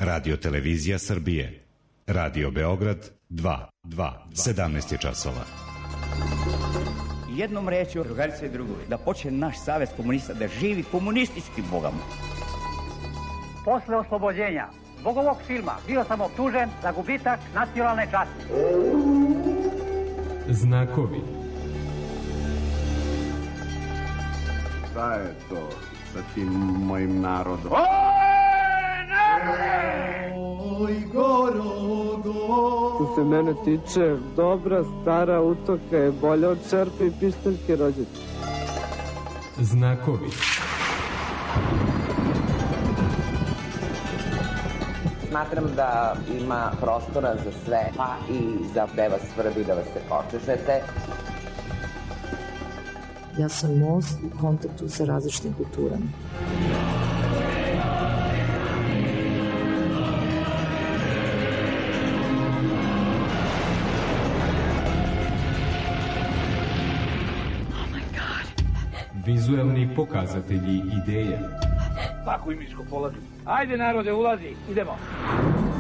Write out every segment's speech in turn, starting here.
Radio Televizija Srbije. Radio Beograd 2. 17 je časova. Jednom rečju, drugarice i drugovi, da počne naš savez komunista da živi komunističkim bogama. Posle oslobođenja zbog ovog filma bio sam optužen za gubitak nacionalne časti. Znakovi. Šta je to sa tim mojim narodom? Oj, Gorogo! Što se mene tiče, dobra stara utoka je bolja od čerpe i pištaljke rođete. Znakovi. Smatram da ima prostora za sve, pa i za da vas svrbi, da vas se počešete. Ja sam most u kontaktu sa različitim kulturama. Vizuelni pokazatelji ideje. Tako i miško polazi. Ajde narode, ulazi, idemo.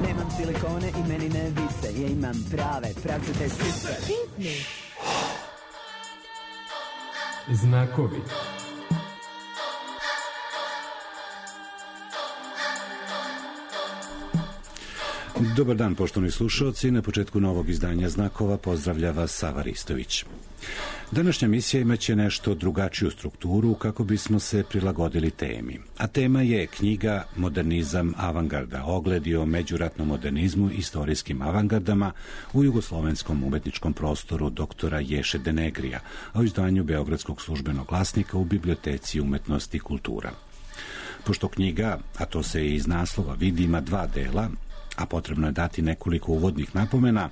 Nemam silikone i meni ne vise, ja imam prave pravcete sise. Znakovi. Dobar dan, poštovani slušalci. Na početku novog izdanja Znakova pozdravlja vas Sava Ristović. Današnja misija imaće nešto drugačiju strukturu kako bismo se prilagodili temi. A tema je knjiga Modernizam avangarda, ogledi o međuratnom modernizmu i istorijskim avangardama u jugoslovenskom umetničkom prostoru doktora Ješe Denegrija, a u izdanju Beogradskog službenog glasnika u Biblioteci umetnosti i kultura. Pošto knjiga, a to se i iz naslova vidi, ima dva dela, a potrebno je dati nekoliko uvodnih napomena,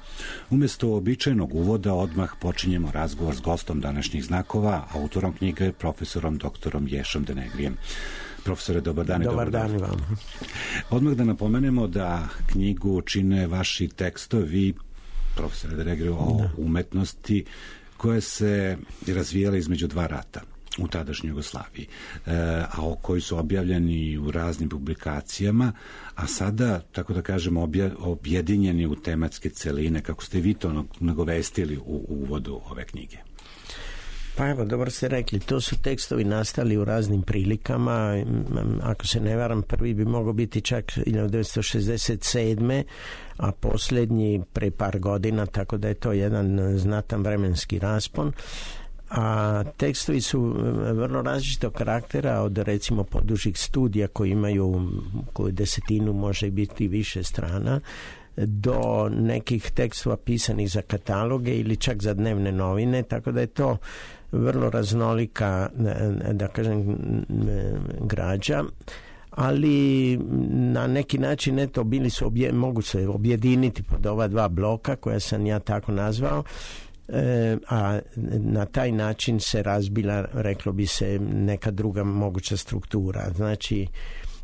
umjesto običajnog uvoda odmah počinjemo razgovor s gostom današnjih Znakova, autorom knjige, profesorom doktorom Ješom Denegrijem. Profesore, dobar dan. Dobar dan i vam. Odmah da napomenemo da knjigu čine vaši tekstovi, profesore Denegriju, o umetnosti koje se razvijale između dva rata u tadašnjoj Jugoslaviji, a koji su objavljeni u raznim publikacijama, a sada, tako da kažemo, objedinjeni u tematske celine, kako ste vi to nagovestili u uvodu ove knjige. Pa evo, dobro ste rekli, to su tekstovi nastali u raznim prilikama, ako se ne varam, prvi bi mogao biti čak 1967. a posljednji pre par godina, tako da je to jedan znatan vremenski raspon. A tekstovi su vrlo različitog karaktera, od recimo podužih studija koji imaju koju desetinu, može biti više strana, do nekih tekstova pisanih za kataloge ili čak za dnevne novine, tako da je to vrlo raznolika, da kažem, građa, ali na neki način eto, bili su mogu se objediniti pod ova dva bloka koja sam ja tako nazvao, a na taj način se razbila, reklo bi se, neka druga moguća struktura. Znači,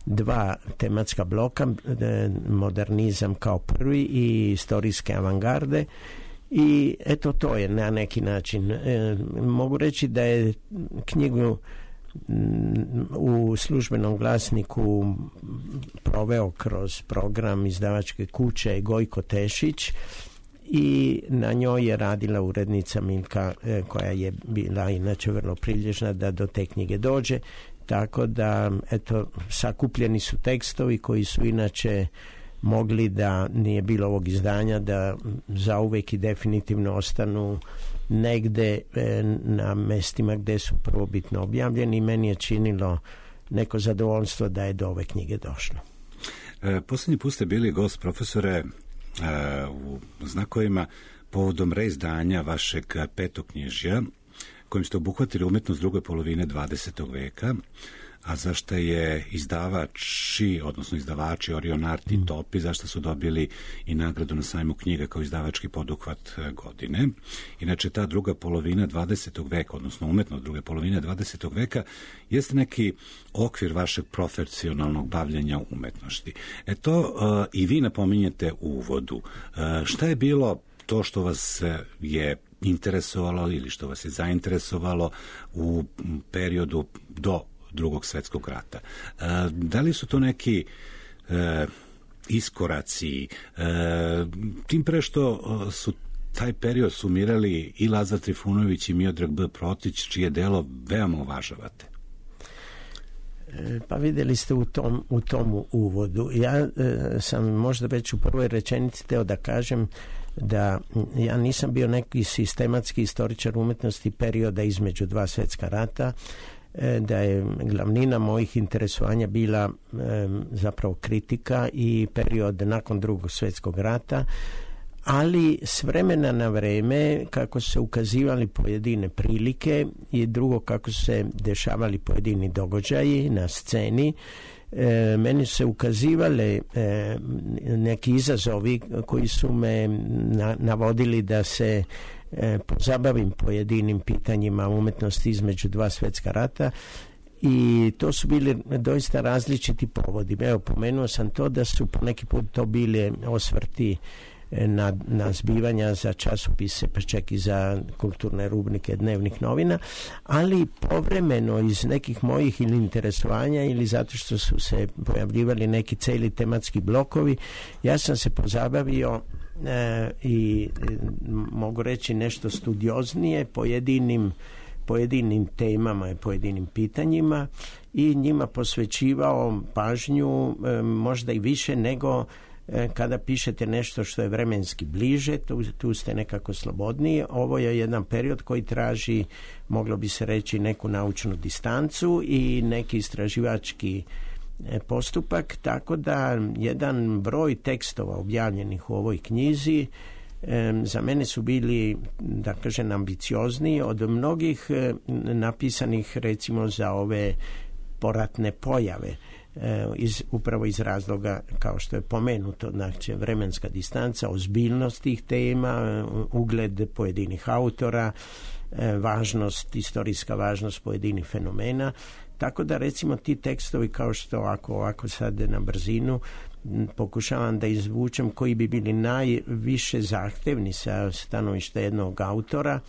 dva tematska bloka, modernizam kao prvi i istorijske avangarde, i eto, to je na neki način. Mogu reći da je knjigu u službenom glasniku proveo kroz program izdavačke kuće Gojko Tešić, i na njoj je radila urednica Milka, koja je bila inače vrlo prilježna da do te knjige dođe, tako da eto, sakupljeni su tekstovi koji su inače mogli, da nije bilo ovog izdanja, da zauvek i definitivno ostanu negde na mestima gde su prvobitno objavljeni, i meni je činilo neko zadovoljstvo da je do ove knjige došlo. Posljednji put ste bili gost, profesore, u Znakovima povodom reizdanja vašeg petoknjižja kojim ste obuhvatili umetnost druge polovine 20. veka, a zašto je izdavači Orion Art i Topi, zašto su dobili i nagradu na sajmu knjiga kao izdavački poduhvat godine. Inače, ta druga polovina 20. veka, odnosno umetnost druge polovine 20. veka, jeste neki okvir vašeg profesionalnog bavljenja umetnosti. To i vi napominjete u uvodu. Šta je bilo to što vas je interesovalo ili što vas je zainteresovalo u periodu do Drugog svjetskog rata? Da li su to neki iskoraci, tim pre što su taj period sumirali i Lazar Trifunović i Miodrag B. Protić, čije delo veoma uvažavate. Pa vidjeli ste u tom uvodu. Ja sam možda već u prvoj rečenici teo da kažem da ja nisam bio neki sistematski istoričar umetnosti perioda između dva svjetska rata, da je glavnina mojih interesovanja bila zapravo kritika i period nakon Drugog svjetskog rata, ali s vremena na vreme kako su se ukazivali pojedine prilike i drugo kako su se dešavali pojedini događaji na sceni, meni su se ukazivale neki izazovi koji su me navodili da se pozabavim pojedinim pitanjima umetnosti između dva svjetska rata, i to su bili doista različiti povodi. Evo, pomenuo sam to da su po neki put to bili osvrti na zbivanja za časopise, pa čak i za kulturne rubrike dnevnih novina, ali povremeno iz nekih mojih ili interesovanja ili zato što su se pojavljivali neki cijeli tematski blokovi, ja sam se pozabavio i mogu reći nešto studioznije pojedinim temama i pojedinim pitanjima i njima posvećivao pažnju možda i više nego kada pišete nešto što je vremenski bliže, tu ste nekako slobodniji. Ovo je jedan period koji traži, moglo bi se reći, neku naučnu distancu i neki istraživački postupak, tako da jedan broj tekstova objavljenih u ovoj knjizi za mene su bili, da kažem, ambiciozniji od mnogih napisanih recimo za ove poratne pojave, upravo iz razloga kao što je pomenuto, znači vremenska distanca, ozbiljnost tih tema, ugled pojedinih autora, istorijska važnost pojedinih fenomena. Tako da recimo ti tekstovi, kao što ako sad na brzinu pokušavam da izvučem koji bi bili najviše zahtevni sa stanovišta jednog autora,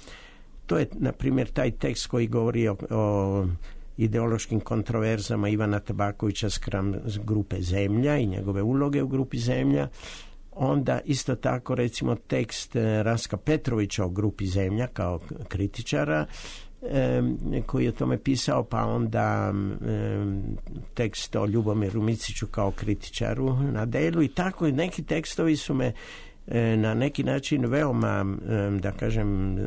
to je na primjer taj tekst koji govori o ideološkim kontroverzama Ivana Tabakovića spram grupe Zemlja i njegove uloge u grupi Zemlja. Onda isto tako recimo tekst Raska Petrovića o grupi Zemlja kao kritičara koji je o tome pisao, pa onda tekst o Ljubomiru Miciću kao kritičaru na delu i tako. Neki tekstovi su me na neki način veoma, da kažem,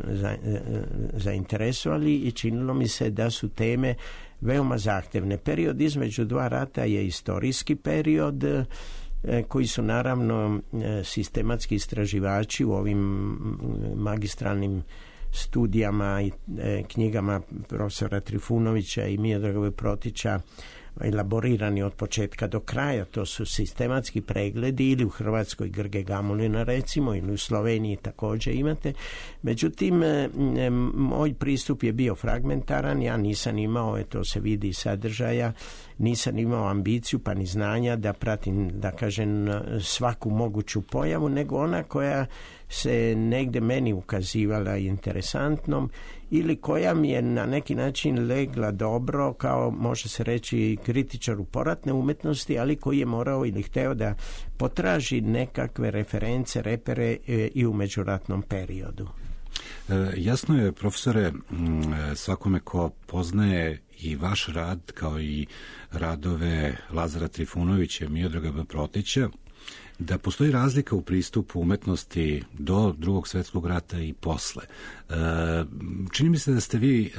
zainteresovali i činilo mi se da su teme veoma zahtevne. Period između dva rata je istorijski period koji su naravno sistematski istraživači u ovim magistralnim studijama i knjigama profesora Trifunovića i Miodraga Protića elaborirani od početka do kraja. To su sistematski pregledi ili u Hrvatskoj Grge Gamulina recimo, ili u Sloveniji također imate. Međutim, moj pristup je bio fragmentaran, ja nisam imao, to se vidi iz sadržaja, nisam imao ambiciju pa ni znanja da pratim, da kažem, svaku moguću pojavu, nego ona koja se negdje meni ukazivala interesantnom ili koja mi je na neki način legla dobro, kao može se reći kritičar u poratne umetnosti, ali koji je morao ili hteo da potraži nekakve reference, repere i u međuratnom periodu. Jasno je, profesore, svakome ko poznaje i vaš rad kao i radove Lazara Trifunovića i Miodraga B. Protića, da postoji razlika u pristupu umetnosti do Drugog svjetskog rata i posle. Čini mi se da ste vi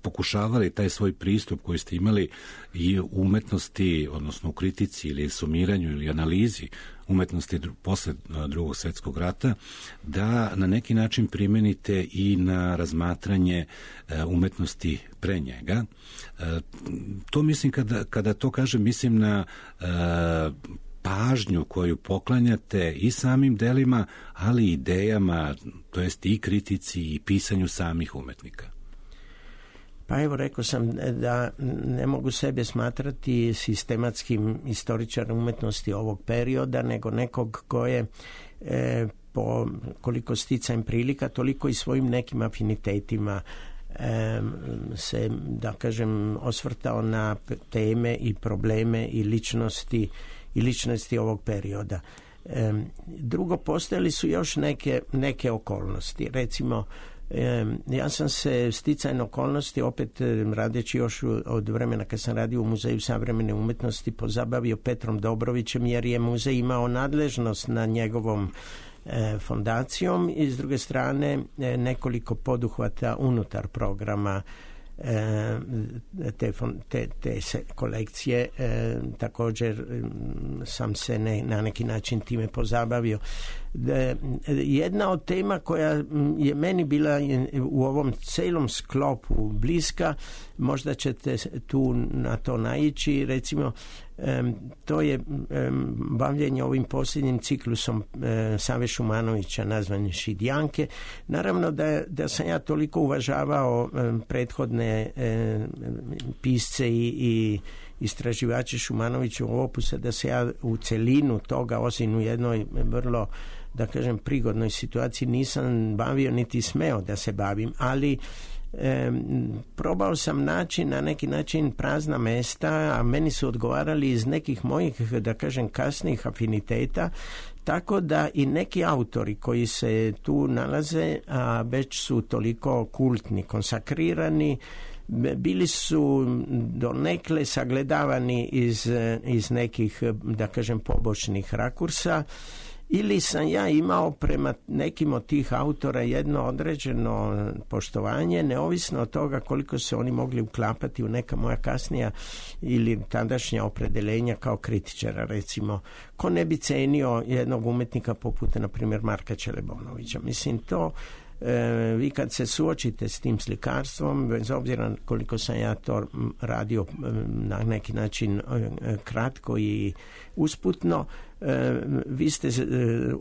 pokušavali taj svoj pristup koji ste imali i u umetnosti, odnosno u kritici ili sumiranju ili analizi umetnosti posle Drugog svjetskog rata, da na neki način primenite i na razmatranje umetnosti pre njega. To mislim, kada to kažem, mislim na pažnju koju poklanjate i samim delima, ali i idejama, to jest i kritici i pisanju samih umetnika. Pa evo, rekao sam da ne mogu sebe smatrati sistematskim istoričarom umetnosti ovog perioda, nego nekog ko je po koliko sticajem prilika, toliko i svojim nekim afinitetima se, da kažem, osvrtao na teme i probleme i ličnosti i ličnosti ovog perioda. Drugo, postojali su još neke okolnosti. Recimo, ja sam se sticajno okolnosti, opet radeći još od vremena kad sam radio u Muzeju savremene umjetnosti, pozabavio Petrom Dobrovićem, jer je muzej imao nadležnost na njegovom fondacijom i s druge strane nekoliko poduhvata unutar programa te kolekcije. Također sam se na neki način time pozabavio. Jedna od tema koja je meni bila u ovom celom sklopu bliska, možda ćete tu na to naići, recimo to je bavljenje ovim posljednjim ciklusom Save Šumanovića nazvan Šidjanke. Naravno da sam ja toliko uvažavao prethodne pisce i istraživače Šumanovićevog opusa da se ja u celinu toga, osim u jednoj vrlo, da kažem, prigodnoj situaciji nisam bavio niti smeo da se bavim, ali probao sam naći na neki način prazna mesta, a meni su odgovarali iz nekih mojih, da kažem, kasnijih afiniteta, tako da i neki autori koji se tu nalaze, a već su toliko kultni, konsakrirani, bili su donekle sagledavani iz nekih, da kažem, pobočnih rakursa, ili sam ja imao prema nekim od tih autora jedno određeno poštovanje, neovisno od toga koliko se oni mogli uklapati u neka moja kasnija ili tadašnja opredeljenja kao kritičara. Recimo, ko ne bi cenio jednog umetnika poput, na primjer, Marka Čelebonovića. Mislim, to vi kad se suočite s tim slikarstvom, bez obzira koliko sam ja to radio na neki način kratko i usputno, vi ste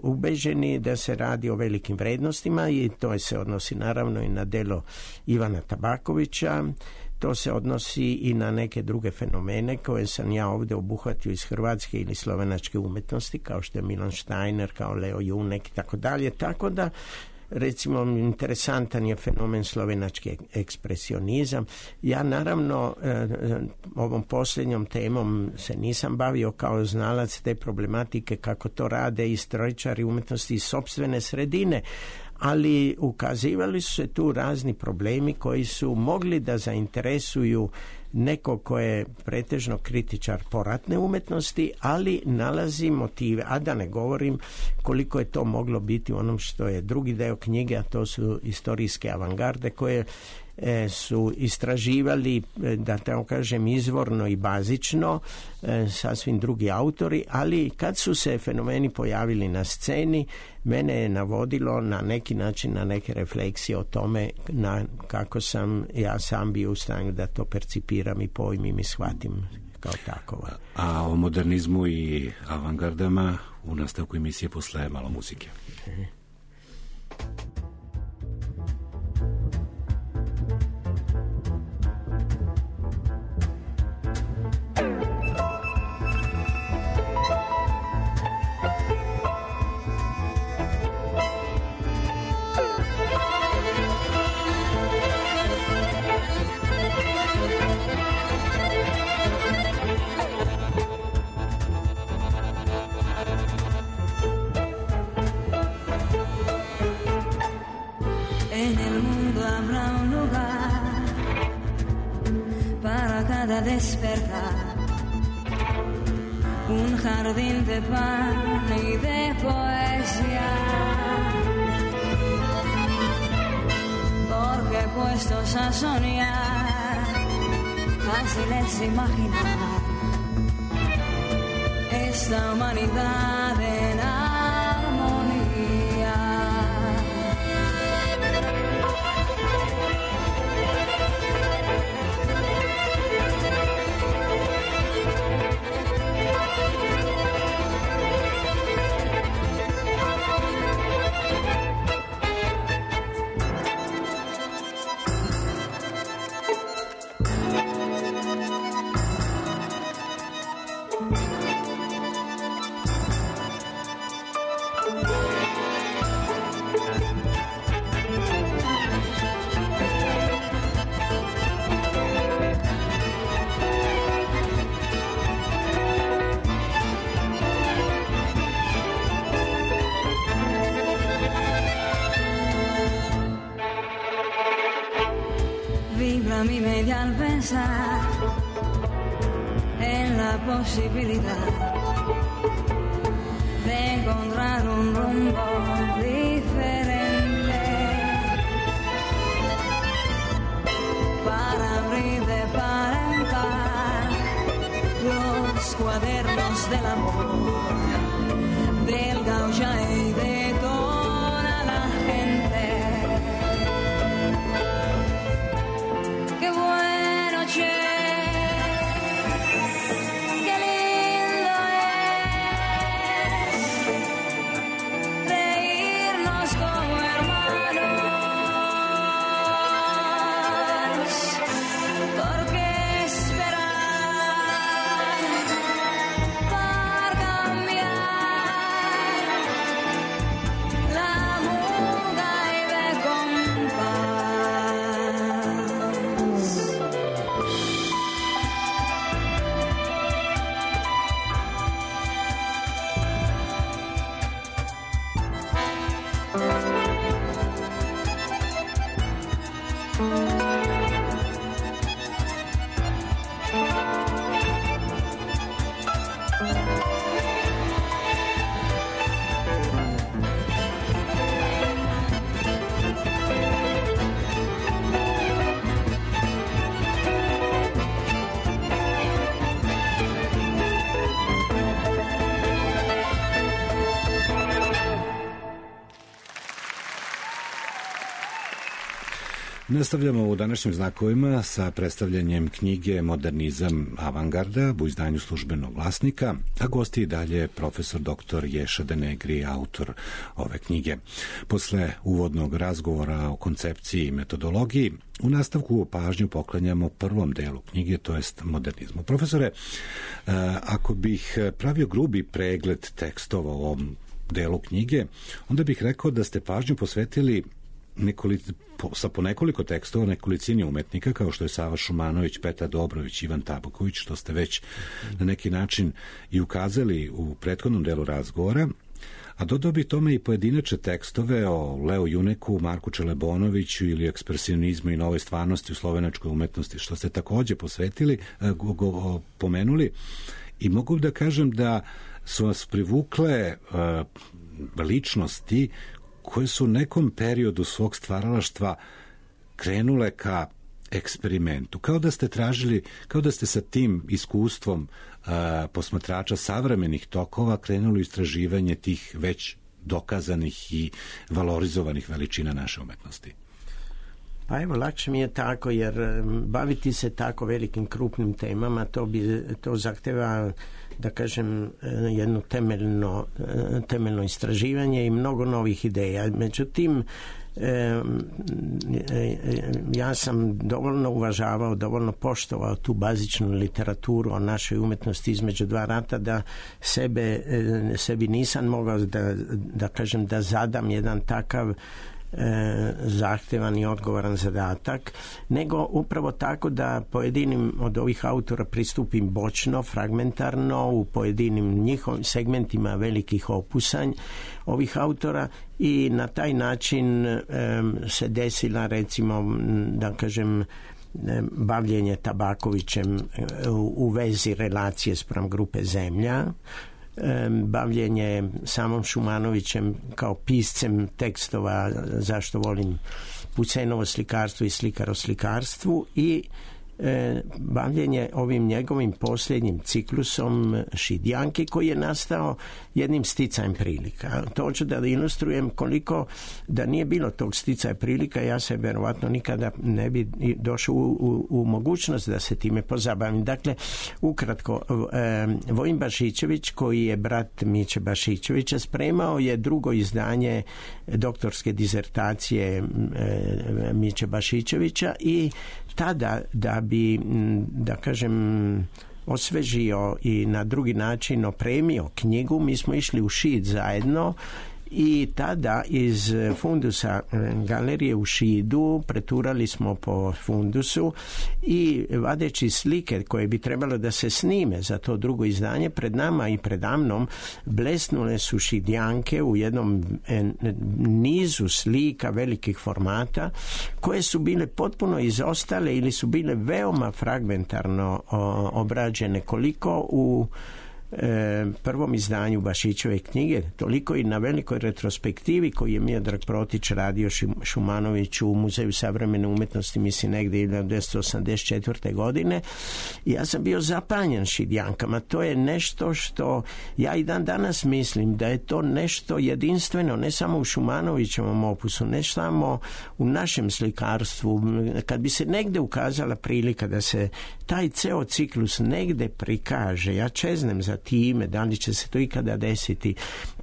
ubeđeni da se radi o velikim vrednostima i to se odnosi naravno i na delo Ivana Tabakovića. To se odnosi i na neke druge fenomene koje sam ja ovdje obuhvatio iz hrvatske ili slovenačke umjetnosti, kao što je Milan Steiner, kao Leo Junek i tako dalje. Tako da, recimo, interesantan je fenomen slovenački ekspresionizam. Ja naravno ovom posljednjom temom se nisam bavio kao znalac te problematike kako to rade istoričari umjetnosti iz sopstvene sredine, ali ukazivali su se tu razni problemi koji su mogli da zainteresuju neko ko je pretežno kritičar poratne umjetnosti, ali nalazi motive, a da ne govorim koliko je to moglo biti u onom što je drugi deo knjige, a to su istorijske avangarde koje su istraživali, da tako kažem, izvorno i bazično sasvim drugi autori, ali kad su se fenomeni pojavili na sceni, mene je navodilo na neki način na neke refleksije o tome kako sam ja sam bio u stanju da to percipiram i pojmim i shvatim kao takovo. A o modernizmu i avangardama u nastavku emisije posle malo muzike. Despertar un jardín de pan y de poesía, porque puestos a soñar fácil es imaginar esta humanidad en armonía. y al pensar en la posibilidad de encontrar un rumbo diferente para abrir de par en par los cuadernos del amor del gaucha y de toda la gente. Qué bueno, che, qué lindo es reírnos como hermanos. ¿Por qué esperar para cambiar la muda y de compás? Nastavljamo u današnjim znakovima sa predstavljanjem knjige Modernizam avangarda u izdanju Službenog glasnika, a gosti i dalje profesor dr. Ješa Denegri, autor ove knjige. Posle uvodnog razgovora o koncepciji i metodologiji, u nastavku pažnju poklanjamo prvom delu knjige, to jest modernizmu. Profesore, ako bih pravio grubi pregled tekstova u ovom delu knjige, onda bih rekao da ste pažnju posvetili sa po nekoliko tekstova nekolicini umetnika kao što je Sava Šumanović, Petar Dobrović, Ivan Tabaković, što ste već na neki način i ukazali u prethodnom delu razgovora, a dodao bi tome i pojedinačne tekstove o Leo Juneku, Marku Čelebonoviću ili ekspresionizmu i novoj stvarnosti u slovenačkoj umetnosti, što ste takođe pomenuli, i mogu da kažem da su vas privukle ličnosti koje su u nekom periodu svog stvaralaštva krenule ka eksperimentu. Kao da ste sa tim iskustvom posmatrača savremenih tokova krenuli u istraživanje tih već dokazanih i valorizovanih veličina naše umetnosti. Pa evo, lakše mi je tako, jer baviti se tako velikim krupnim temama, to zahteva, da kažem, jedno temeljno istraživanje i mnogo novih ideja. Međutim, ja sam dovoljno uvažavao, dovoljno poštovao tu bazičnu literaturu o našoj umetnosti između dva rata da sebi nisam mogao da kažem da zadam jedan takav zahtevan i odgovoran zadatak, nego upravo tako da pojedinim od ovih autora pristupim bočno, fragmentarno, u pojedinim njihovim segmentima velikih opusanj ovih autora, i na taj način se desila, recimo, da kažem, bavljenje Tabakovićem u vezi relacije spram grupe Zemlja, bavljenje samom Šumanovićem kao piscem tekstova Zašto volim Pucenovo slikarstvo i Slikar o slikarstvu, i bavljenje ovim njegovim posljednjim ciklusom Šidjanke, koji je nastao jednim sticajem prilika. To hoću da ilustrujem koliko da nije bilo tog sticaja prilika, ja se verovatno nikada ne bi došao u mogućnost da se time pozabavim. Dakle, ukratko, Vojin Bašićević, koji je brat Miće Bašićevića, spremao je drugo izdanje doktorske dizertacije Miće Bašićevića, i tada, da bi, da kažem, osvežio i na drugi način opremio knjigu, mi smo išli u Šid zajedno i tada iz fundusa galerije u Šidu preturali smo po fundusu i vadeći slike koje bi trebalo da se snime za to drugo izdanje, pred nama i predamnom blesnule su Šidjanke u jednom nizu slika velikih formata koje su bile potpuno izostale ili su bile veoma fragmentarno obrađene, koliko u prvom izdanju Bašićeve knjige, toliko i na velikoj retrospektivi koju je Miodrag Protić radio Šumanović u Muzeju savremene umetnosti, mislim negdje 1984. godine. Ja sam bio zapanjen Šidjankama. To je nešto što ja i dan danas mislim da je to nešto jedinstveno, ne samo u Šumanovićevom opusu, ne samo u našem slikarstvu. Kad bi se negde ukazala prilika da se taj ceo ciklus negde prikaže, ja čeznem za time, da li će se to ikada desiti,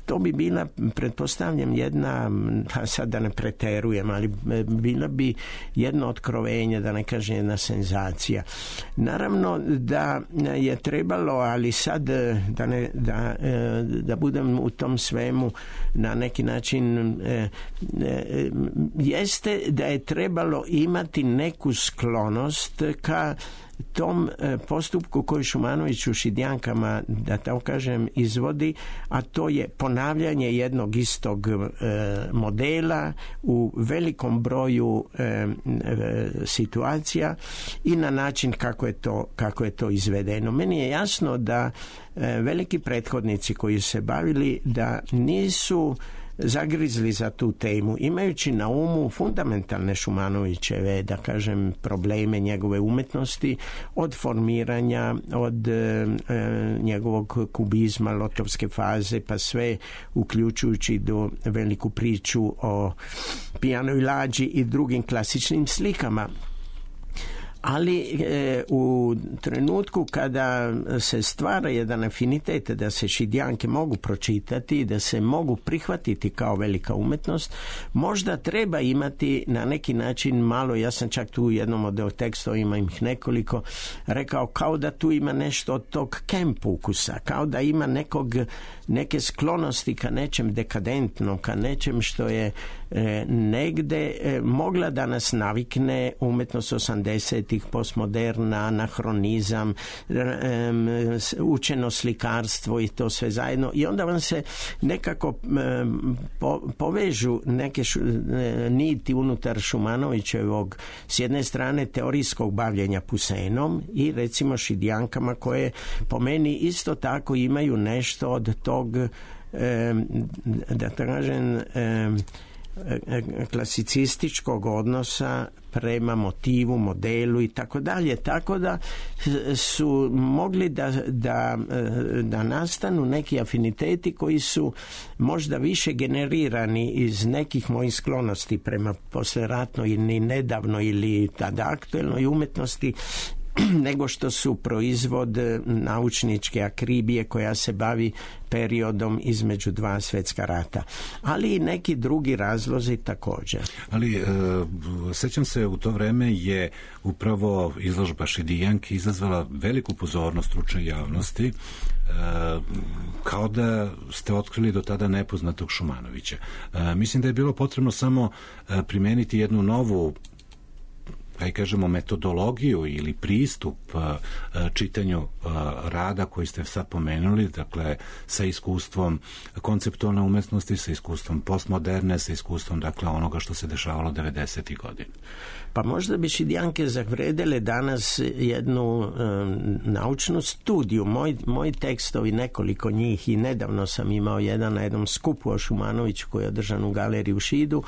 to bi bila, pretpostavljam, jedna, sad da ne preterujem, ali bila bi jedno otkrovenje, da ne kažem jedna senzacija. Naravno da je trebalo, ali sad da budem u tom svemu na neki način, jeste da je trebalo imati neku sklonost ka tom postupku koji Šumanović u Šidjankama, da tako kažem, izvodi, a to je ponavljanje jednog istog modela u velikom broju situacija i na način kako je to izvedeno. Meni je jasno da veliki prethodnici koji se bavili da nisu zagrizli za tu temu, imajući na umu fundamentalne Šumanovićeve, da kažem, probleme njegove umetnosti, od formiranja, od njegovog kubizma, lotovske faze, pa sve uključujući do veliku priču o pijanoj lađi i drugim klasičnim slikama. Ali u trenutku kada se stvara jedan afinitet da se Šidjanke mogu pročitati, da se mogu prihvatiti kao velika umetnost, možda treba imati na neki način malo, ja sam čak tu u jednom od tekstova, ima ih nekoliko, rekao kao da tu ima nešto od tog camp ukusa, kao da ima neke sklonosti ka nečem dekadentnom, ka nečem što je negde mogla da nas navikne umetnost 80-ih, postmoderna, anahronizam, učeno slikarstvo i to sve zajedno, i onda vam se nekako povežu neke niti unutar Šumanovićevog, s jedne strane teorijskog bavljenja Pusenom i recimo Šidjankama, koje po meni isto tako imaju nešto od tog, da kažem, klasicističkog odnosa prema motivu, modelu i tako dalje, tako da su mogli da nastanu neki afiniteti koji su možda više generirani iz nekih mojih sklonosti prema posleratnoj ili nedavno ili tada aktuelnoj umetnosti, nego što su proizvod naučničke akribije koja se bavi periodom između dva svjetska rata. Ali i neki drugi razlozi također. Ali sećam se, u to vreme je upravo izložba Šidjanki izazvala veliku pozornost stručne javnosti, kao da ste otkrili do tada nepoznatog Šumanovića. Mislim da je bilo potrebno samo primeniti jednu novu, kaj kažemo, metodologiju ili pristup čitanju rada koji ste sad pomenuli, dakle sa iskustvom konceptualne umetnosti, sa iskustvom postmoderne, sa iskustvom, dakle, onoga što se dešavalo 90. godina. Pa možda bi Šidjanke zavredele danas jednu naučnu studiju. Moji tekstovi, nekoliko njih, i nedavno sam imao jedan na jednom skupu o Šumanoviću koji je održan u galeriji u Šidu,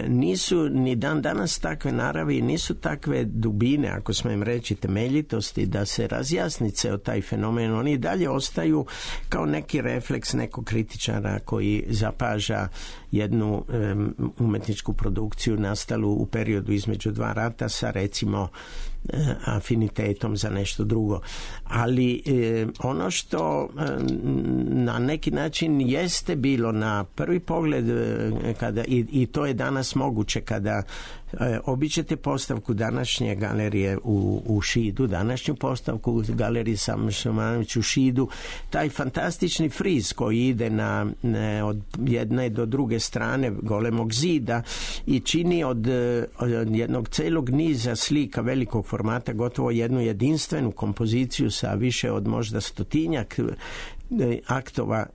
nisu ni dan danas takve naravi, nisu takve dubine, ako smijem reći, temeljitosti da se razjasni ceo taj fenomen. Oni dalje ostaju kao neki refleks nekog kritičara koji zapaža jednu umetničku produkciju nastalu u periodu između dva rata sa, recimo, afinitetom za nešto drugo. Ali ono što na neki način jeste bilo na prvi pogled kada, i to je danas moguće kada obiđete postavku današnje galerije u Šidu, današnju postavku galerije Sam Šumanović u Šidu, taj fantastični friz koji ide od jedne do druge strane golemog zida i čini od jednog celog niza slika velikog formata gotovo jednu jedinstvenu kompoziciju sa više od možda 100-tinjak aktova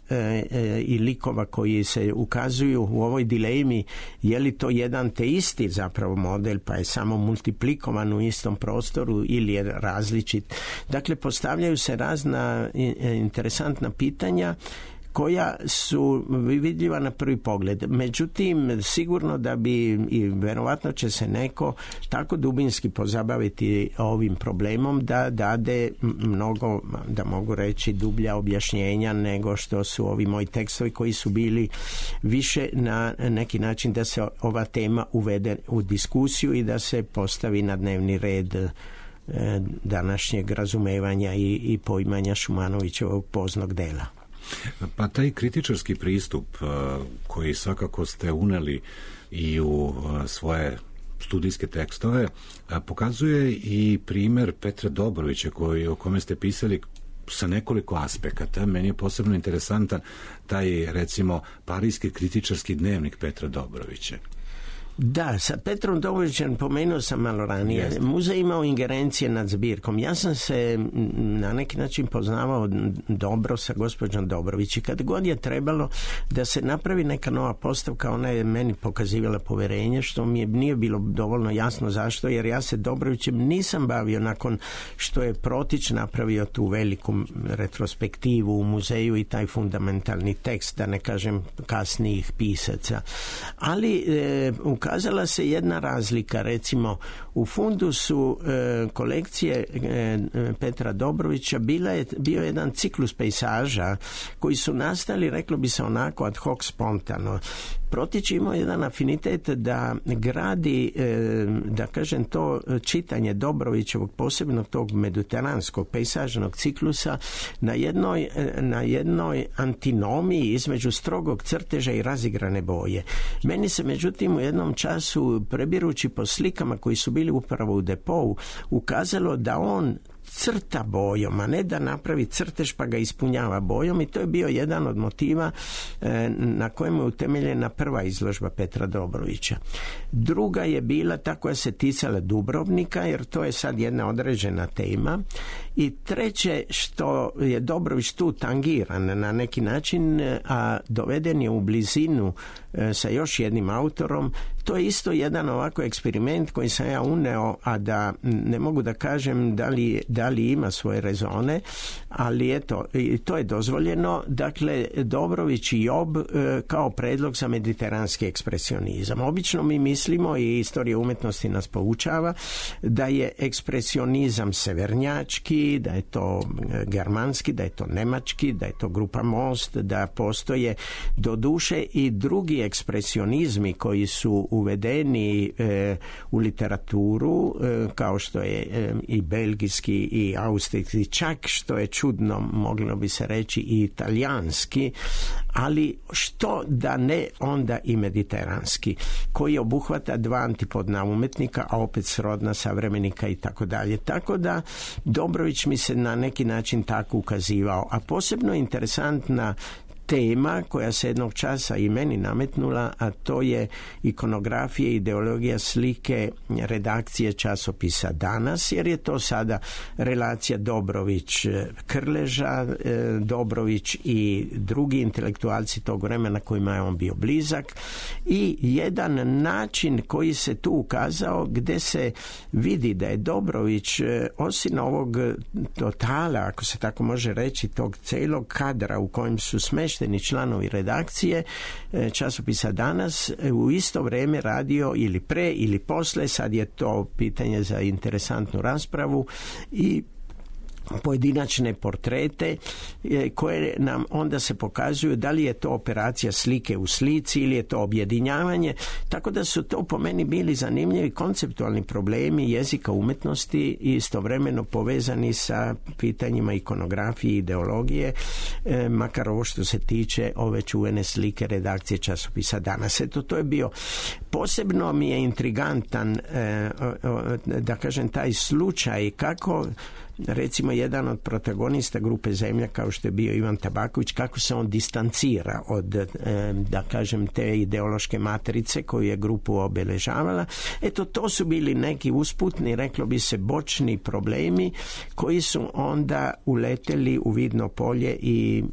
i likova koji se ukazuju u ovoj dilemi, je li to jedan te isti zapravo model pa je samo multiplikovan u istom prostoru ili je različit. Dakle, postavljaju se razna interesantna pitanja koja su vidljiva na prvi pogled. Međutim, sigurno da bi i verovatno će se neko tako dubinski pozabaviti ovim problemom da dade mnogo, da mogu reći, dublja objašnjenja nego što su ovi moji tekstovi koji su bili više na neki način da se ova tema uvede u diskusiju i da se postavi na dnevni red današnjeg razumevanja i poimanja Šumanovićevog poznog dela. Pa taj kritičarski pristup koji svakako ste uneli i u svoje studijske tekstove pokazuje i primer Petra Dobrovića o kome ste pisali sa nekoliko aspekata. Meni je posebno interesantan taj, recimo, parijski kritičarski dnevnik Petra Dobrovića. Da, sa Petrom Dobrovićem pomenuo sam malo ranije. Muzej imao ingerencije nad zbirkom. Ja sam se na neki način poznavao dobro sa gospođom Dobrović i kad god je trebalo da se napravi neka nova postavka, ona je meni pokazivala poverenje, što mi nije bilo dovoljno jasno zašto, jer ja se Dobrovićem nisam bavio nakon što je Protić napravio tu veliku retrospektivu u muzeju i taj fundamentalni tekst, da ne kažem kasnijih pisaca. Ali ukazala se jedna razlika, recimo u fundusu kolekcije Petra Dobrovića bio jedan ciklus pejsaža koji su nastali, reklo bi se onako ad hoc spontano. Protić imao jedan afinitet da gradi, da kažem, to čitanje Dobrovićevog, posebno tog mediteranskog pejsažnog ciklusa na jednoj antinomiji između strogog crteža i razigrane boje. Meni se međutim u jednom času, prebirući po slikama koji su bili upravo u depou, ukazalo da on crta bojom, a ne da napravi crtež pa ga ispunjava bojom, i to je bio jedan od motiva na kojemu je utemeljena prva izložba Petra Dobrovića. Druga je bila ta koja se ticala Dubrovnika, jer to je sad jedna određena tema, i treće, što je Dobrović tu tangiran na neki način, a doveden je u blizinu sa još jednim autorom, to je isto jedan ovako eksperiment koji sam ja uneo, a da ne mogu da kažem da li ima svoje rezone, ali eto, to je dozvoljeno. Dakle, Dobrović i Job kao predlog za mediteranski ekspresionizam. Obično mi mislimo, i istorija umetnosti nas poučava, da je ekspresionizam severnjački, da je to germanski, da je to nemački, da je to grupa Most, da postoje do duše i drugi ekspresionizmi koji su uvedeni u literaturu, kao što je i belgijski i austrijski, čak što je čudno, moglo bi se reći i italijanski, ali što da ne onda i mediteranski, koji obuhvata dva antipodna umetnika, a opet srodna savremenika i tako dalje. Tako da Dobrović mi se na neki način tako ukazivao, a posebno interesantna tema koja se jednog časa i meni nametnula, a to je ikonografija i ideologija slike redakcije časopisa Danas, jer je to sada relacija Dobrović-Krleža, Dobrović i drugi intelektualci tog vremena kojima je on bio blizak, i jedan način koji se tu ukazao gde se vidi da je Dobrović, osim ovog totala, ako se tako može reći, tog celog kadra u kojem su smešteni članovi redakcije časopisa Danas, u isto vreme radio ili pre ili posle, sad je to pitanje za interesantnu raspravu, i pojedinačne portrete koje nam onda se pokazuju da li je to operacija slike u slici ili je to objedinjavanje, tako da su to po meni bili zanimljivi konceptualni problemi jezika umetnosti i istovremeno povezani sa pitanjima ikonografije i ideologije, makar ovo što se tiče ove čuvene slike redakcije časopisa Danas. Eto, to je bio posebno mi je intrigantan da kažem taj slučaj kako recimo jedan od protagonista grupe Zemlja kao što je bio Ivan Tabaković, kako se on distancira od da kažem te ideološke matrice koju je grupu obeležavala. Eto, to su bili neki usputni, reklo bi se, bočni problemi koji su onda uleteli u vidno polje i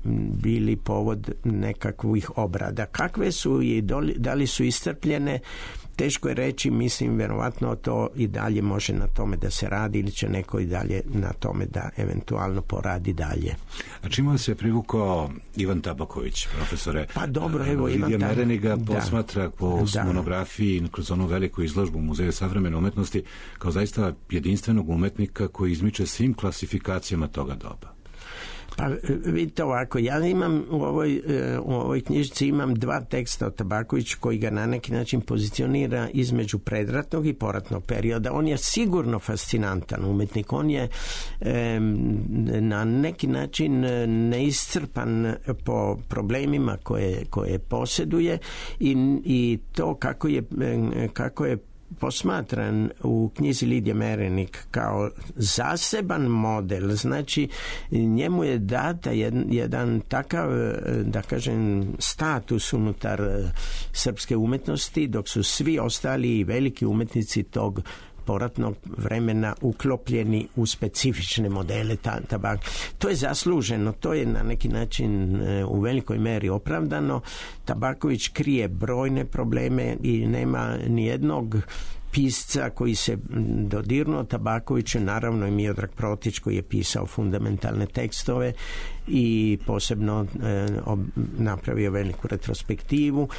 bili povod nekakvih obrada. Kakve su i da li su iscrpljene, teško je reći, mislim, verovatno to i dalje može na tome da se radi ili će neko i dalje na tome da eventualno poradi dalje. A čime se privukao Ivan Tabaković, profesore? Pa dobro, evo Lidija Merenig ga posmatra po monografiji kroz onu veliku izložbu u Muzeju savremene umetnosti kao zaista jedinstvenog umetnika koji izmiče svim klasifikacijama toga doba. Pa vidite ovako, ja imam u ovoj knjižici imam dva teksta od Tabakovića koji ga na neki način pozicionira između predratnog i poratnog perioda. On je sigurno fascinantan umetnik, on je na neki način neiscrpan po problemima koje posjeduje i to kako je posmatran u knjizi Lidije Merenig kao zaseban model, znači njemu je data jedan takav, da kažem, status unutar srpske umetnosti, dok su svi ostali i veliki umetnici tog poratnog vremena uklopljeni u specifične modele tabak. To je zasluženo, to je na neki način u velikoj meri opravdano. Tabaković krije brojne probleme i nema nijednog pisca koji se dodirnuo Tabakoviću, naravno i Miodrag Protić koji je pisao fundamentalne tekstove i posebno napravio veliku retrospektivu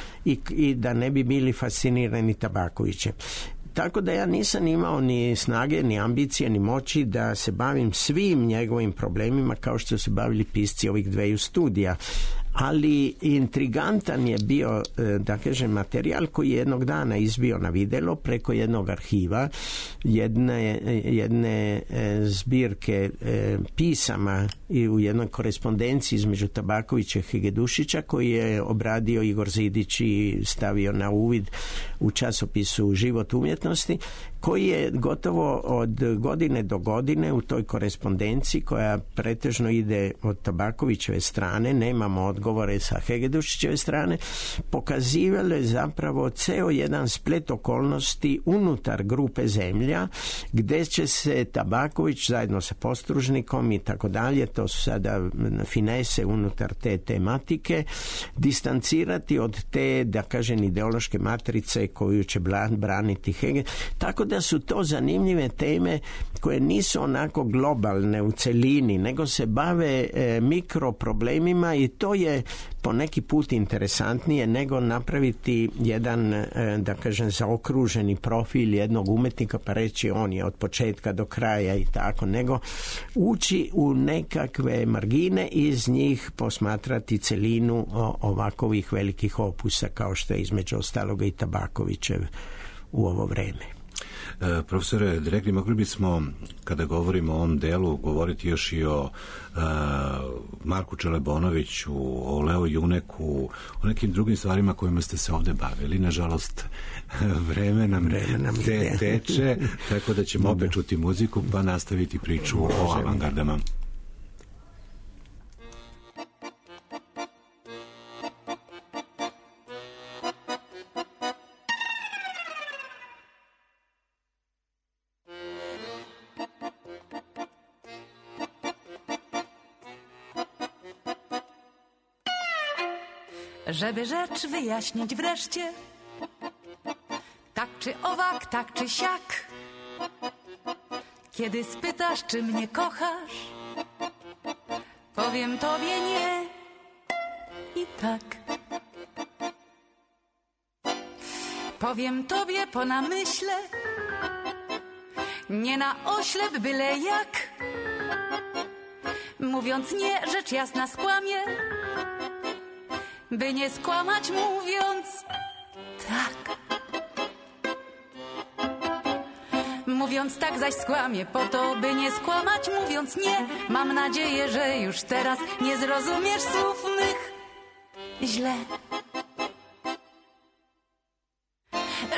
i da ne bi bili fascinirani Tabakovićem. Tako da ja nisam imao ni snage, ni ambicije, ni moći da se bavim svim njegovim problemima kao što se bavili pisci ovih dveju studija. Ali intrigantan je bio, da kažem, materijal koji je jednog dana izbio na videlo preko jednog arhiva, jedne zbirke pisama i u jednoj korespondenciji između Tabakovića i Hegedušića koji je obradio Igor Zidić i stavio na uvid u časopisu Život umjetnosti, koji je gotovo od godine do godine u toj korespondenciji koja pretežno ide od Tabakovićeve strane, nemamo odgovore sa Hegedušićeve strane, pokazivale zapravo ceo jedan splet okolnosti unutar grupe Zemlja, gde će se Tabaković zajedno sa Postružnikom i tako dalje, to su sada finese unutar te tematike, distancirati od te, da kažem, ideološke matrice koju će braniti Hegel. Tako da su to zanimljive teme koje nisu onako globalne u celini, nego se bave mikroproblemima i to je po neki put interesantnije nego napraviti jedan, da kažem, zaokruženi profil jednog umetnika pa reći on je od početka do kraja i tako, nego ući u nekakve margine i iz njih posmatrati celinu ovakovih velikih opusa kao što je između ostaloga i Tabakovićev u ovo vreme. Profesore, direktni, mogli bismo, kada govorimo o ovom delu, govoriti još i o Marku Čelebonoviću, o Leo Juneku, o nekim drugim stvarima kojima ste se ovde bavili. Nažalost, vreme nam teče, tako da ćemo opet čuti muziku pa nastaviti priču o avangardama. Żeby rzecz wyjaśnić wreszcie, tak czy owak, tak czy siak, kiedy spytasz, czy mnie kochasz, powiem tobie nie i tak. Powiem tobie po namyśle, nie na oślep byle jak, mówiąc nie, rzecz jasna skłamie, by nie skłamać mówiąc tak. Mówiąc tak zaś skłamie po to, by nie skłamać mówiąc nie. Mam nadzieję, że już teraz nie zrozumiesz słów mych źle.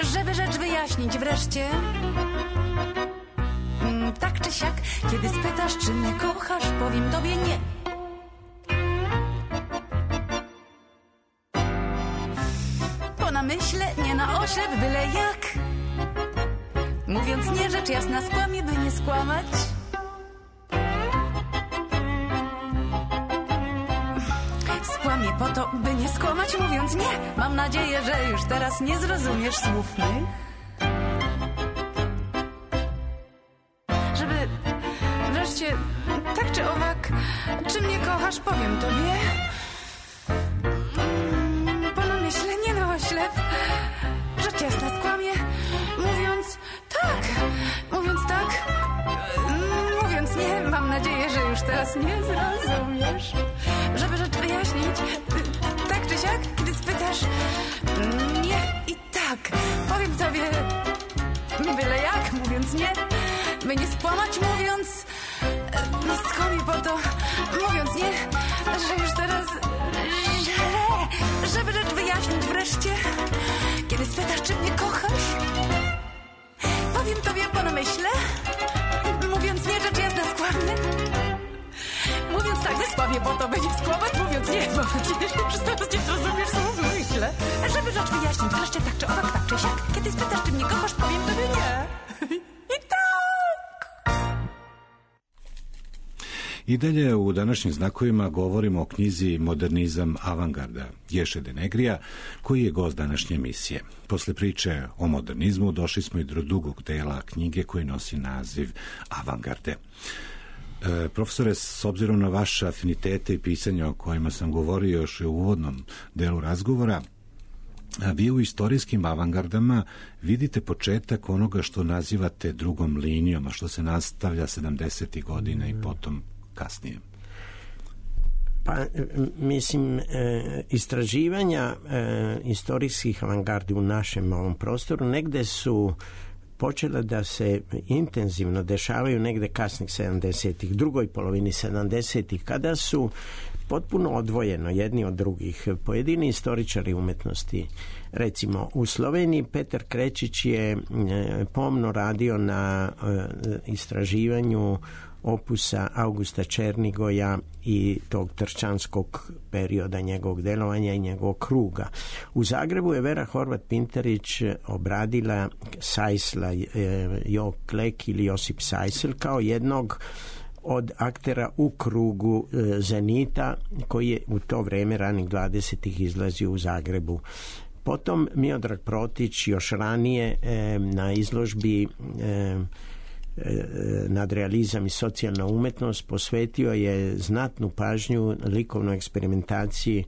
Żeby rzecz wyjaśnić wreszcie, tak czy siak, kiedy spytasz, czy mnie kochasz, powiem tobie nie. Po namyśle, nie na oślep, byle jak. Mówiąc nie, rzecz jasna skłamie, by nie skłamać. Skłamie po to, by nie skłamać, mówiąc nie. Mam nadzieję, że już teraz nie zrozumiesz słów mych. Żeby wreszcie, tak czy owak, czy mnie kochasz, powiem tobie. Po namyśle, nie na oślep, rzecz jasna skłamie, mówiąc tak, mówiąc nie. Mam nadzieję, że już teraz nie zrozumiesz. Żeby rzecz wyjaśnić, tak czy siak, kiedy spytasz nie i tak, powiem tobie byle jak, mówiąc nie, by nie skłamać, mówiąc skłamie po to, mówiąc nie, że już teraz źle. Żeby rzecz wyjaśnić wreszcie, kiedy spytasz, czy mnie kochasz, powiem tobie po namyśle, mówiąc nie, rzecz jasna skłamie. Mówiąc tak, skłamie po to, by nie skłamać, mówiąc nie. Mam nadzieję, że już teraz nie zrozumiesz słów myślę. Żeby rzecz wyjaśnić wreszcie, tak czy owak, tak czy siak, kiedy spytasz, czy mnie kochasz, powiem tobie nie. I tak. I dalje u današnjim znakovima govorimo o knjizi Modernizam avangarda Ješe Denegrija, koji je gost današnje emisije. Posle priče o modernizmu došli smo i do drugog dela knjige koji nosi naziv Avangarde. Profesore, s obzirom na vaše afinitete i pisanja o kojima sam govorio još u uvodnom delu razgovora, vi u istorijskim avangardama vidite početak onoga što nazivate drugom linijom, a što se nastavlja 70. godina i potom kasnije. Pa, mislim, istraživanja istorijskih avangardi u našem ovom prostoru negde su počela da se intenzivno dešavaju negde kasnih 70-ih, drugoj polovini 70-ih, kada su potpuno odvojeno jedni od drugih pojedini istoričari umetnosti. Recimo, u Sloveniji Petar Krečić je pomno radio na istraživanju opusa Augusta Černigoja i tog trčanskog perioda njegovog delovanja i njegovog kruga. U Zagrebu je Vera Horvat-Pintarić obradila Sajsla, Jo Klek ili Josip Sajsel kao jednog od aktera u krugu Zenita, koji je u to vreme ranih 20-ih izlazio u Zagrebu. Potom Miodrag Protić još ranije na izložbi Nadrealizam i socijalna umetnost posvetio je znatnu pažnju likovnoj eksperimentaciji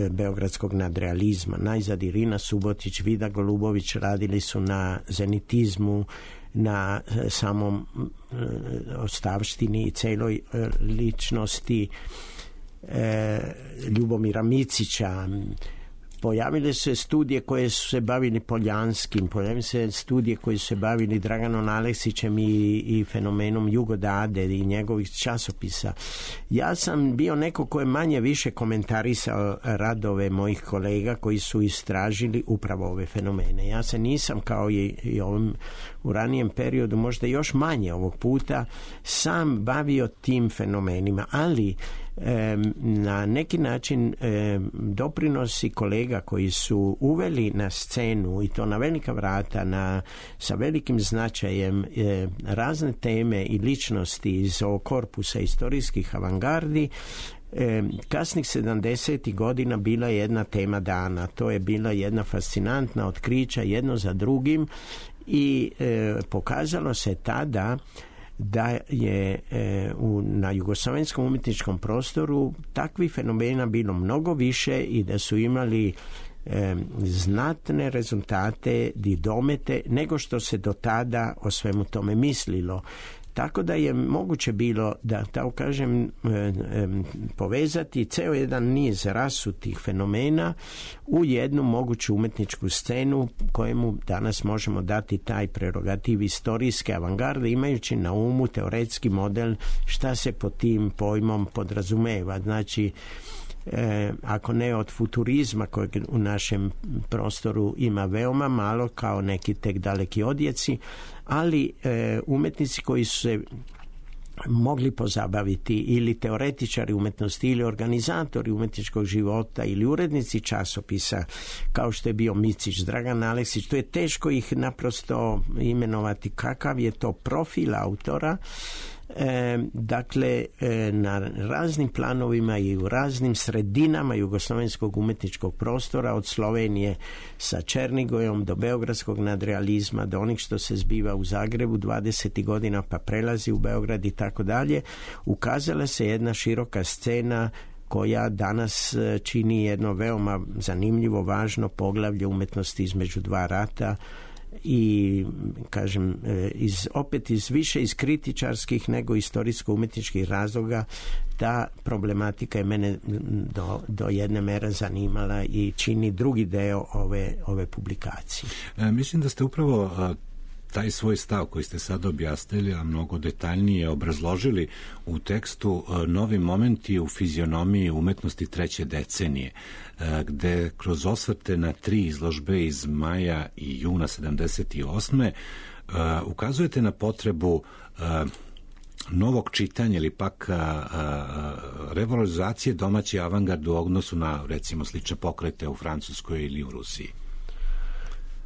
beogradskog nadrealizma. Najzad Irina Subotić, Vida Golubović radili su na zenitizmu, na samom ostavštini i celoj ličnosti Ljubomira Micića. Pojavile su se studije koje su se bavili Poljanskim, pojavile se studije koje su se bavili Draganom Aleksićem i fenomenom Jugo Dade i njegovih časopisa. Ja sam bio neko ko je manje više komentarisao radove mojih kolega koji su istražili upravo ove fenomene. Ja se nisam, kao i ovim u ranijem periodu, možda još manje ovog puta, sam bavio tim fenomenima, ali na neki način doprinosi kolega koji su uveli na scenu, i to na velika vrata, sa velikim značajem, razne teme i ličnosti iz ovog korpusa istorijskih avangardi, kasnih 70. godina bila je jedna tema dana. To je bila jedna fascinantna otkrića jedno za drugim i pokazalo se tada da je na jugoslovenskom umjetničkom prostoru takvih fenomena bilo mnogo više i da su imali znatne rezultate i domete nego što se do tada o svemu tome mislilo. Tako da je moguće bilo da, tako kažem, povezati ceo jedan niz rasutih fenomena u jednu moguću umetničku scenu kojemu danas možemo dati taj prerogativ istorijske avangarde, imajući na umu teoretski model šta se pod tim pojmom podrazumeva. Znači, ako ne od futurizma kojeg u našem prostoru ima veoma malo, kao neki tek daleki odjeci, ali umetnici koji su se mogli pozabaviti, ili teoretičari umetnosti, ili organizatori umetničkog života, ili urednici časopisa, kao što je bio Micić, Dragan Aleksić. To je teško ih naprosto imenovati kakav je to profil autora. Dakle, na raznim planovima i u raznim sredinama jugoslovenskog umetničkog prostora, od Slovenije sa Černigojom do beogradskog nadrealizma, do onih što se zbiva u Zagrebu 20. godina pa prelazi u Beograd i tako dalje, ukazala se jedna široka scena koja danas čini jedno veoma zanimljivo, važno poglavlje umetnosti između dva rata. I kažem, opet više iz kritičarskih nego istorijsko-umetničkih razloga ta problematika je mene do jedne mere zanimala i čini drugi deo ove publikacije. Mislim da ste upravo taj svoj stav koji ste sad objasnili, a mnogo detaljnije obrazložili u tekstu Novi momenti u fizionomiji umetnosti treće decenije, gde kroz osvrte na 3 izložbe iz maja i juna 78. Ukazujete na potrebu novog čitanja ili pak revalorizacije domaće avangarde u odnosu na, recimo, slične pokrete u Francuskoj ili u Rusiji.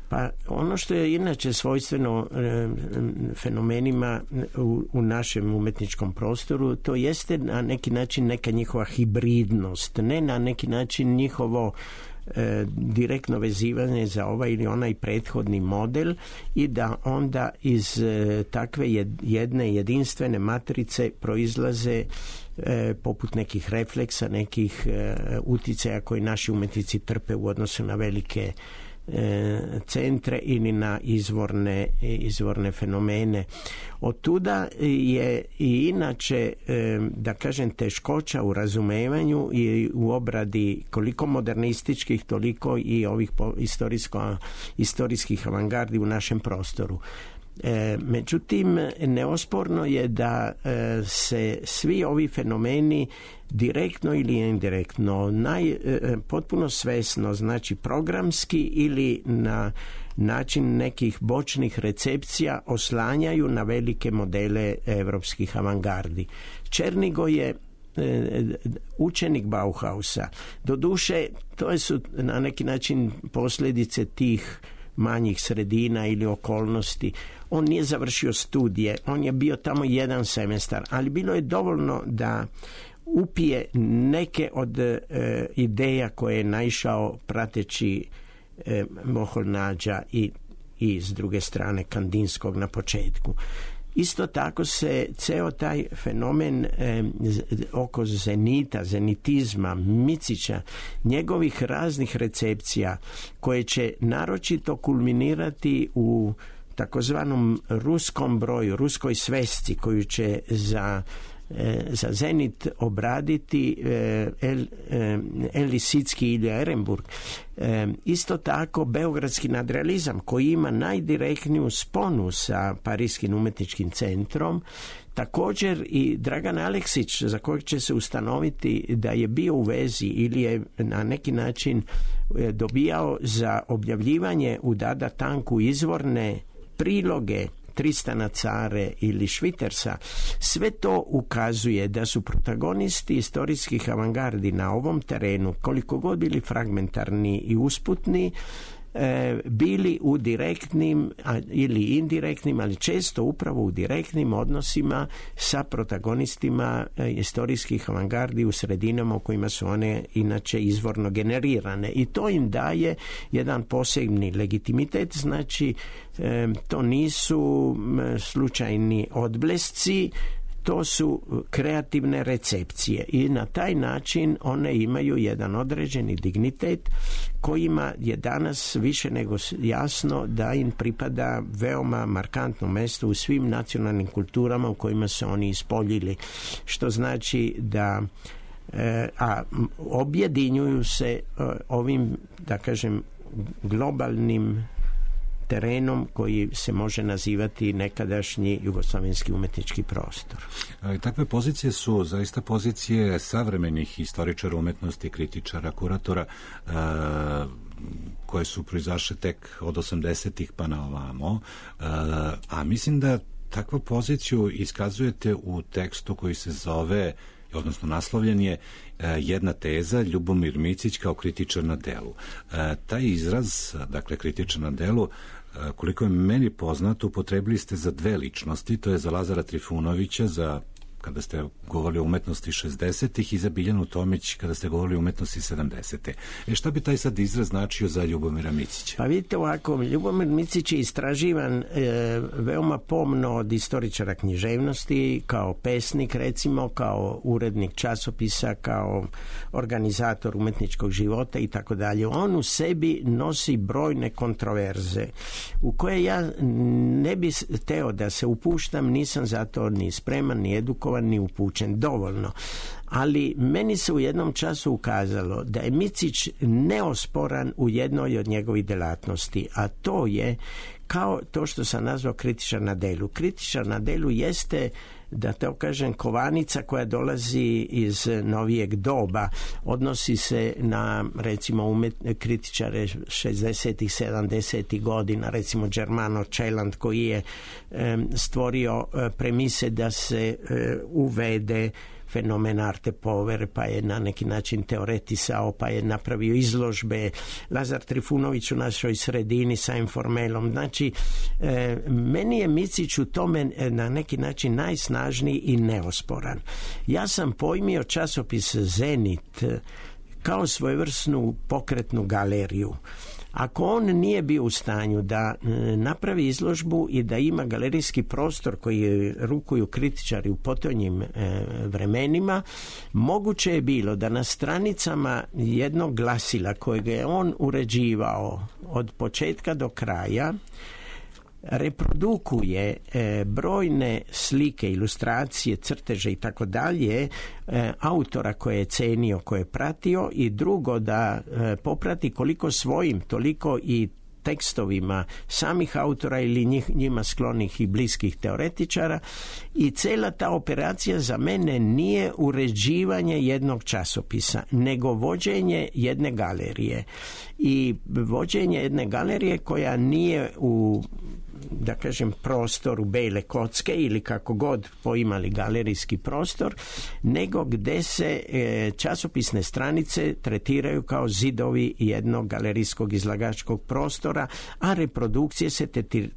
Pa ono što je inače svojstveno fenomenima u našem umetničkom prostoru, to jeste na neki način neka njihova hibridnost, ne na neki način njihovo direktno vezivanje za ovaj ili onaj prethodni model, i da onda iz takve jedne jedinstvene matrice proizlaze poput nekih refleksa, nekih uticaja koji naši umetnici trpe u odnosu na velike centre ili na izvorne fenomene. Od tuda je i inače, da kažem, teškoća u razumevanju i u obradi koliko modernističkih, toliko i ovih istorijskih avangardi u našem prostoru. Međutim, neosporno je da se svi ovi fenomeni direktno ili indirektno, potpuno svesno, znači programski ili na način nekih bočnih recepcija, oslanjaju na velike modele evropskih avangardi. Černigoj je učenik Bauhausa. Doduše, to su na neki način posljedice tih manjih sredina ili okolnosti. On nije završio studije, on je bio tamo jedan semestar, ali bilo je dovoljno da upije neke od ideja koje je naišao prateći Moholy Nadža i s druge strane Kandinskog na početku. Isto tako se ceo taj fenomen oko zenita, zenitizma, Micića, njegovih raznih recepcija koje će naročito kulminirati u takozvanom ruskom broju, ruskoj svesci koju će za Zenit obraditi Lisicki ili Ehrenburg. Isto tako beogradski nadrealizam koji ima najdirektniju sponu sa Parijskim umetničkim centrom. Također i Dragan Aleksić, za kojeg će se ustanoviti da je bio u vezi ili je na neki način dobijao za objavljivanje u Dada Tanku izvorne priloge Tristana Care ili Švitersa. Sve to ukazuje da su protagonisti istorijskih avangardi na ovom terenu, koliko god bili fragmentarni i usputni, bili u direktnim ili indirektnim, ali često upravo u direktnim odnosima sa protagonistima istorijskih avangardi u sredinama u kojima su one inače izvorno generirane, i to im daje jedan posebni legitimitet. Znači, to nisu slučajni odblesci, to su kreativne recepcije i na taj način one imaju jedan određeni dignitet kojima je danas više nego jasno da im pripada veoma markantno mesto u svim nacionalnim kulturama u kojima se oni ispoljili, što znači da objedinjuju se ovim, da kažem, globalnim terenom koji se može nazivati nekadašnji jugoslavenski umetnički prostor. Takve pozicije su zaista pozicije savremenih historičara umetnosti, kritičara, kuratora, koje su proizašle tek od 80-ih pa na ovamo, a mislim da takvu poziciju iskazujete u tekstu koji se zove, odnosno naslovljen je jedna teza, Ljubomir Micić kao kritičar na delu. Taj izraz, dakle kritičar na delu, koliko je meni poznato, upotrebili ste za dve ličnosti, to je za Lazara Trifunovića, kada ste govorili o umetnosti 60-ih, i za Biljanu Tomić kada ste govorili o umetnosti 70-te. Šta bi taj sad izraz značio za Ljubomira Micića? Pa vidite ovako, Ljubomir Micić je istraživan veoma pomno od istoričara književnosti, kao pesnik recimo, kao urednik časopisa, kao organizator umetničkog života i tako dalje. On u sebi nosi brojne kontroverze u koje ja ne bi teo da se upuštam, nisam za to ni spreman, ni edukovan, ni upućen dovoljno. Ali meni se u jednom času ukazalo da je Micić neosporan u jednoj od njegovih delatnosti, a to je kao to što sam nazvao kritičar na delu. Kritičar na delu jeste, da to kažem, kovanica koja dolazi iz novijeg doba. Odnosi se na, recimo, kritičare 60-ih, 70-ih godina, recimo Germano Celand, koji je stvorio premise da se uvede fenomen arte povere, pa je na neki način teoretisao, pa je napravio izložbe. Lazar Trifunović u našoj sredini sa informelom. Znači, meni je Micić u tome na neki način najsnažniji i neosporan. Ja sam pojmio časopis Zenit kao svojevrsnu pokretnu galeriju. Ako on nije bio u stanju da napravi izložbu i da ima galerijski prostor koji rukuju kritičari u potonjim vremenima, moguće je bilo da na stranicama jednog glasila kojeg je on uređivao od početka do kraja reprodukuje brojne slike, ilustracije, crteže i tako dalje autora koje je cenio, koje je pratio, i drugo da poprati koliko svojim, toliko i tekstovima samih autora ili njima sklonih i bliskih teoretičara, i cela ta operacija za mene nije uređivanje jednog časopisa, nego vođenje jedne galerije. I vođenje jedne galerije koja nije u, da kažem, prostoru bele kocke ili kako god poimali galerijski prostor, nego gde se časopisne stranice tretiraju kao zidovi jednog galerijskog izlagačkog prostora, a reprodukcije se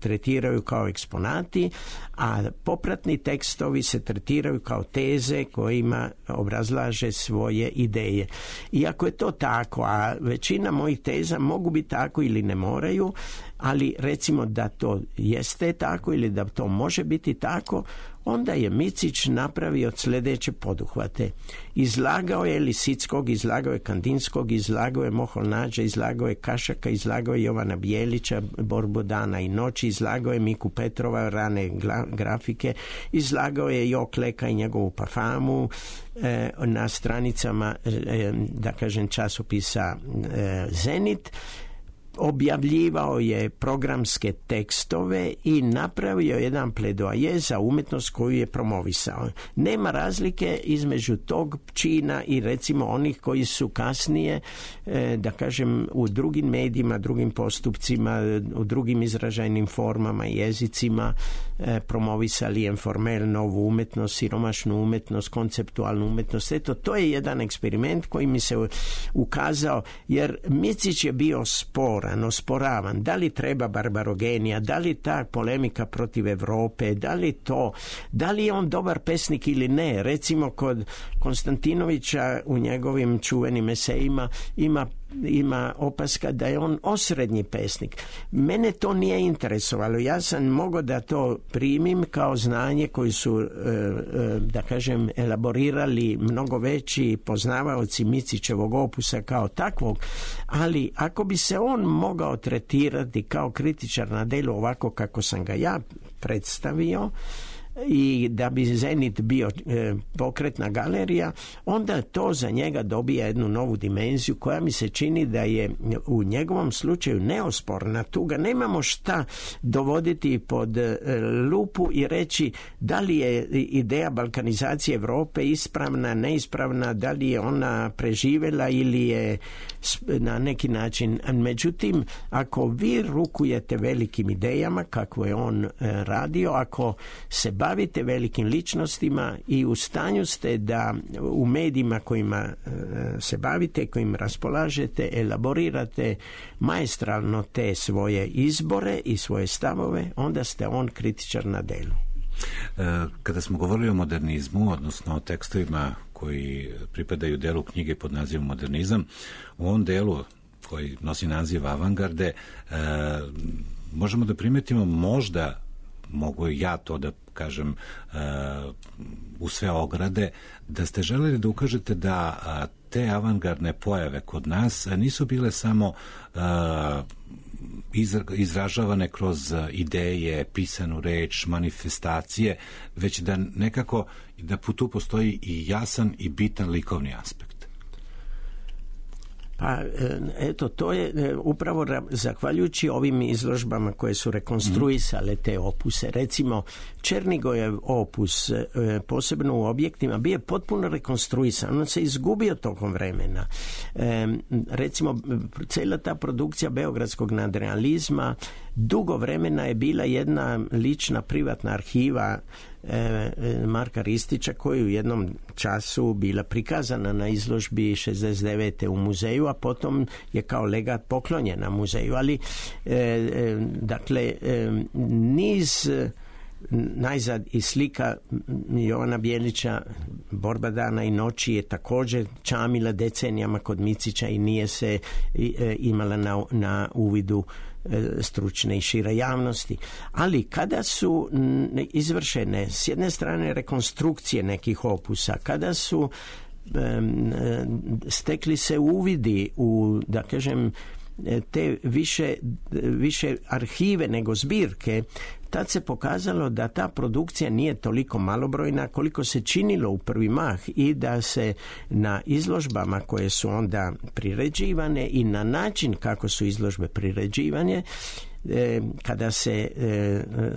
tretiraju kao eksponati, a popratni tekstovi se tretiraju kao teze kojima obrazlaže svoje ideje. I ako je to tako, a većina mojih teza mogu biti tako ili ne moraju, ali recimo da to jeste tako ili da to može biti tako, onda je Micić napravio sljedeće poduhvate. Izlagao je Lisickog, izlagao je Kandinskog, izlagao je Moholnađa, izlagao je Kašaka, izlagao je Jovana Bijelića, Borbu dana i noći, izlagao je Miku Petrova, rane grafike, izlagao je Jokleka i njegovu parfamu na stranicama, da kažem, časopisa Zenit. Objavljivao je programske tekstove i napravio jedan pledoaje za umetnost koju je promovisao. Nema razlike između tog čina i recimo onih koji su kasnije, da kažem, u drugim medijima, drugim postupcima, u drugim izražajnim formama i jezicima promovisali informel, novu umetnost, siromašnu umetnost, konceptualnu umetnost. Eto, to je jedan eksperiment koji mi se ukazao, jer Micić je bio osporavan. Da li treba barbarogenija, da li ta polemika protiv Evrope, da li je on dobar pesnik ili ne. Recimo kod Konstantinovića u njegovim čuvenim esejima ima ima opaska da je on osrednji pesnik. Mene to nije interesovalo. Ja sam mogao da to primim kao znanje koji su, da kažem, elaborirali mnogo veći poznavaoci Micićevog opusa kao takvog, ali ako bi se on mogao tretirati kao kritičar na delu ovako kako sam ga ja predstavio, i da bi Zenit bio pokretna galerija, onda to za njega dobija jednu novu dimenziju koja mi se čini da je u njegovom slučaju neosporna. Tu ga nemamo šta dovoditi pod lupu i reći da li je ideja balkanizacije Europe ispravna, neispravna, da li je ona preživjela ili je na neki način. Međutim, ako vi rukujete velikim idejama kako je on radio, ako se bavite velikim ličnostima i u stanju ste da u medijima kojima se bavite, kojim raspolažete, elaborirate maestralno te svoje izbore i svoje stavove, onda ste on kritičar na delu. Kada smo govorili o modernizmu, odnosno o tekstovima koji pripadaju delu knjige pod nazivom Modernizam, u ovom delu koji nosi naziv Avangarde, možemo da primetimo, možda mogu ja to da kažem u sve ograde, da ste želeli da ukažete da te avangardne pojave kod nas nisu bile samo izražavane kroz ideje, pisanu reč, manifestacije, već da nekako da tu postoji i jasan i bitan likovni aspekt. Pa eto, to je upravo zahvaljujući ovim izložbama koje su rekonstruisale te opuse. Recimo, Černigojev opus, posebno u objektima, bio je potpuno rekonstruisan. On se izgubio tokom vremena. Recimo, cijela ta produkcija beogradskog nadrealizma dugo vremena je bila jedna lična privatna arhiva Marka Ristića, koji u jednom času bila prikazana na izložbi 69. u muzeju, a potom je kao legat poklonjena muzeju. Ali dakle, niz najzad i slika Jovana Bijelića Borba dana i noći je također čamila decenijama kod Micića i nije se imala na uvidu stručne i šire javnosti. Ali kada su izvršene s jedne strane rekonstrukcije nekih opusa, kada su stekli se uvidi u, da kažem, te više arhive nego zbirke, tad se pokazalo da ta produkcija nije toliko malobrojna koliko se činilo u prvi mah i da se na izložbama koje su onda priređivane i na način kako su izložbe priređivane, kada se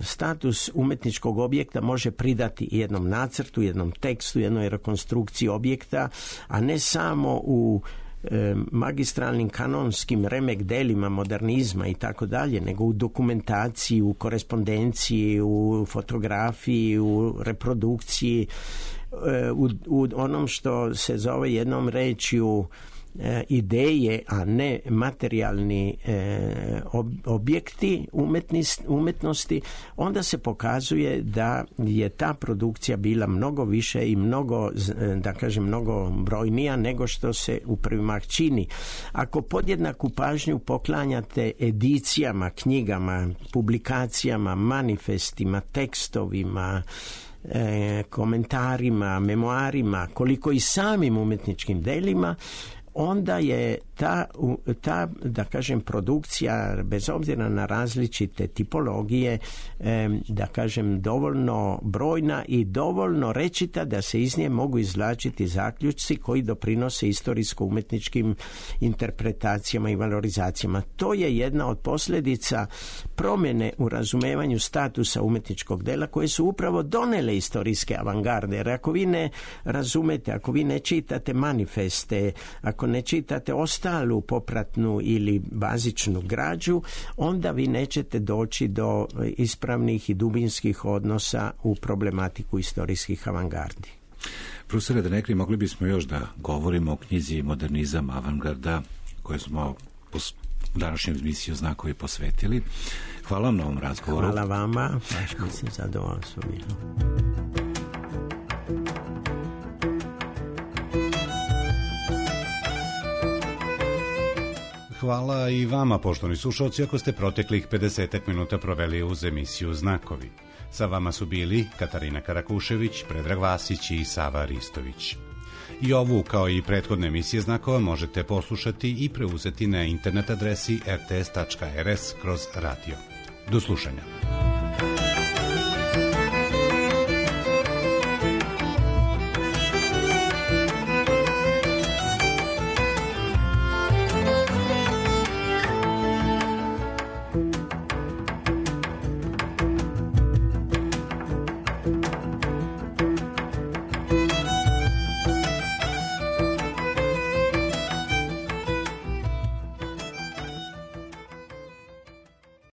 status umetničkog objekta može pridati jednom nacrtu, jednom tekstu, jednoj rekonstrukciji objekta, a ne samo u magistralnim kanonskim remek delima modernizma i tako dalje, nego u dokumentaciji, u korespondenciji, u fotografiji, u reprodukciji, u onom što se zove jednom rečju ideje, a ne materijalni objekti umetnosti, onda se pokazuje da je ta produkcija bila mnogo više i mnogo, da kažem, mnogo brojnija nego što se u prvi mah čini. Ako podjednaku pažnju poklanjate edicijama, knjigama, publikacijama, manifestima, tekstovima, komentarima, memoarima, koliko i samim umjetničkim delima, onda je ta, da kažem, produkcija, bez obzira na različite tipologije, da kažem, dovoljno brojna i dovoljno rečita da se iz nje mogu izvlačiti zaključci koji doprinose istorijsko-umetničkim interpretacijama i valorizacijama. To je jedna od posljedica promjene u razumevanju statusa umetničkog dela koje su upravo donele istorijske avangarde. Jer ako vi ne razumete, ako vi ne čitate manifeste, ako ne čitate ostalu popratnu ili bazičnu građu, onda vi nećete doći do ispravnih i dubinskih odnosa u problematiku istorijskih avangardi. Profesore Denekri, mogli bismo još da govorimo o knjizi Modernizam avangarda koju smo u današnjem emisiju Znakovi posvetili. Hvala vam na ovom razgovoru. Hvala vama, baš mi se zadovoljstvo bilo. Hvala i vama, poštovani slušalci, ako ste proteklih 50 minuta proveli uz emisiju Znakovi. Sa vama su bili Katarina Karakušević, Predrag Vasić i Sava Ristović. I ovu, kao i prethodne emisije Znakova, možete poslušati i preuzeti na internet adresi rts.rs/radio. Do slušanja.